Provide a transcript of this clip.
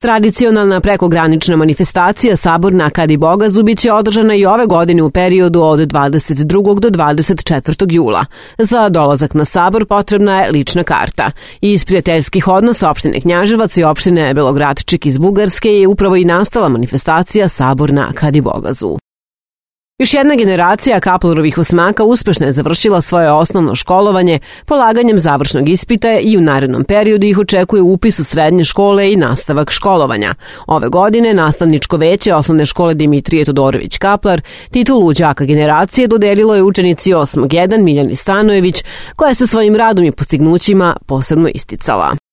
Tradicionalna prekogranična manifestacija Sabor na Kadibogazu biće održana i ove godine u periodu od 22. do 24. jula. Za dolazak na Sabor potrebna je lična karta. Iz prijateljskih odnosa opštine Knjaževac i opštine Belogradčik iz Bugarske je upravo i nastala manifestacija Sabor na Kadibogazu. Još jedna generacija Kaplerovih osmaka uspešno je završila svoje osnovno školovanje polaganjem završnog ispita i u narednom periodu ih očekuje upis u srednje škole i nastavak školovanja. Ove godine nastavničko veće osnovne škole Dimitrije Todorović Kaplar titulu đaka generacije dodelilo je učenici 8. 1 Miljani Stanojević, koja se svojim radom i postignućima posebno isticala.